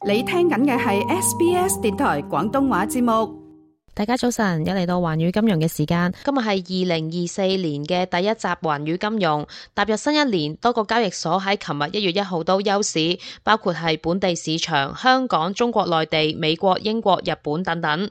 你聽緊嘅係 SBS 電台廣東話節目。大家早晨，又嚟到環宇金融嘅時間。今日係2024年嘅第一集環宇金融。踏入新一年，多個交易所喺琴日1月1號都休市，包括係本地市場、香港、中國內地、美國、英國、日本等等。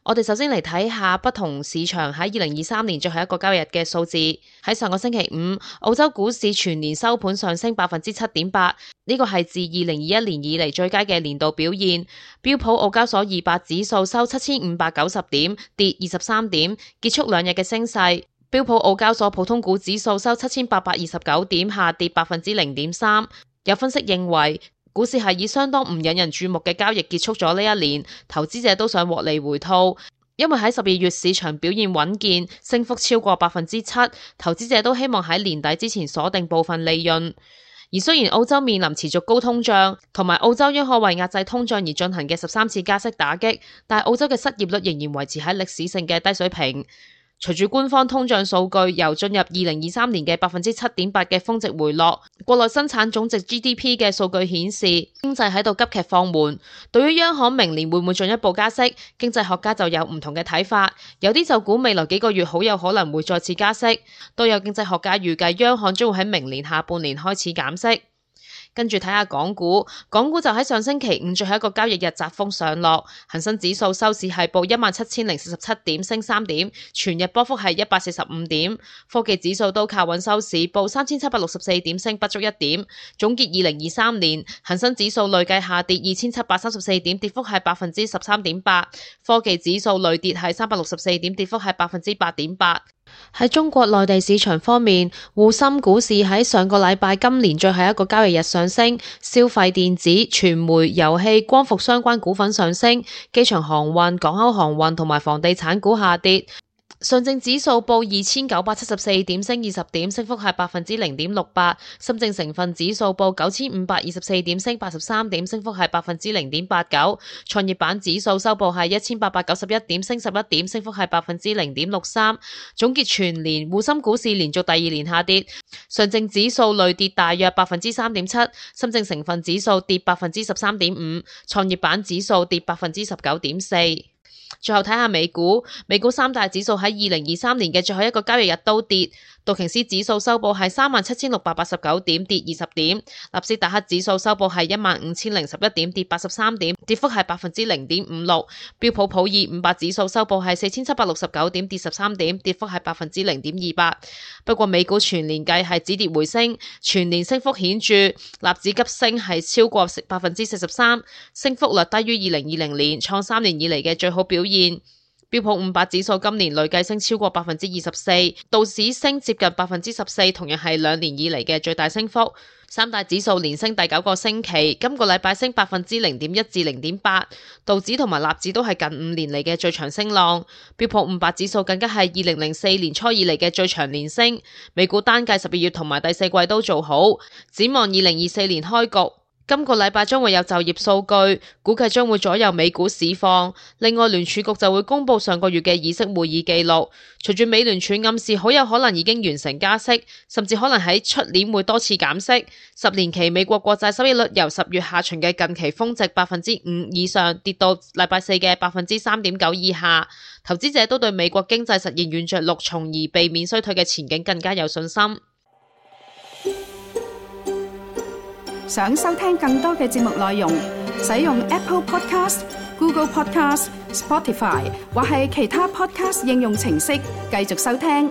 我哋首先嚟睇下不同市場喺2023年最後一個交易日嘅數字。喺上個星期五，澳洲股市全年收盤上升 7.8%， 呢個係自2021年以嚟最佳嘅年度表現。標普澳交所200指數收7590點，跌23點，結束兩日嘅升勢。標普澳交所普通股指數收7829點，下跌 0.3%。有分析認為，股市係以相當唔引人注目嘅交易結束咗呢一年，投資者都想獲利回吐，因為喺12月市場表現穩健，升幅超過 7%， 投資者都希望喺年底之前鎖定部分利潤。而雖然澳洲面臨持續高通脹，同埋澳洲央行為壓制通脹而進行嘅13次加息打擊，但澳洲嘅失業率仍然維持喺歷史性嘅低水平。隨住官方通脹數據由進入2023年嘅 7.8% 嘅峰值回落，國內生產總值 GDP 嘅數據顯示經濟喺度急劇放緩。對於央行明年會唔會進一步加息，經濟學家就有唔同嘅睇法。有啲就估未來幾個月好有可能會再次加息，都有經濟學家預計央行將會喺明年下半年開始減息。跟住睇下港股，港股就喺上星期五最後一個交易日窄幅上落，恒生指數收市係報17047點，升3點，全日波幅係145點。科技指數都靠穩收市，報3764點，升不足1點。總結2023年，恒生指數累計下跌2734點，跌幅係 13.8%。科技指數累跌係364點，跌幅係 8.8%。喺中國內地市場方面，滬深股市喺上個禮拜今年最後一個交易日上升，消費電子、傳媒、遊戲、光伏相關股份上升，機場航運、港口航運同埋房地產股下跌。上證指數報2974點，升20點，升幅係 0.68%。深證成分指數報9524點，升83點，升幅係 0.89%。創業板指數收報係1891點，升11點，升幅係 0.63%。總結全年，滬深股市連續第二年下跌，上證指數累跌大約 3.7%， 深證成分指數跌 13.5%， 創業板指數跌 19.4%。最後睇下美股三大指數喺2023年嘅最後一個交易日都跌，道瓊斯指數收報係37689點，跌20點，納斯達克指數收報係15011點，跌83點，跌幅係 0.56%， 標普普爾500指數收報係4769點，跌13點，跌幅係 0.28%。不過美股全年計係止跌回升，全年升幅顯著，納指急升係超過 43%， 升幅率低於2020年，創3年以嚟嘅最好表現。標普500指數今年累計升超過 24%， 道指升接近 14%， 同樣係2年以嚟嘅最大升幅。三大指數連升第9個星期，今個禮拜升 0.1% 至 0.8%， 道指同埋納指都係近5年嚟嘅最長升浪。標普500指數更加係2004年初以嚟嘅最長連升。美股單計12月同埋第四季都做好，展望2024年開局。今個禮拜將會有就業數據，估計將會左右美股市況。另外，聯儲局就會公布上個月嘅議息會議記錄。隨住美聯儲暗示好有可能已經完成加息，甚至可能喺出年會多次減息。10年期美國國債收益率由10月下旬嘅近期峰值 5% 以上跌到禮拜四嘅 3.9% 以下。投資者都對美國經濟實現軟着陸，從而避免衰退嘅前景更加有信心。想收聽更多嘅節目內容，使用 Apple Podcast、Google Podcast、Spotify 或係其他 Podcast 應用程式繼續收聽。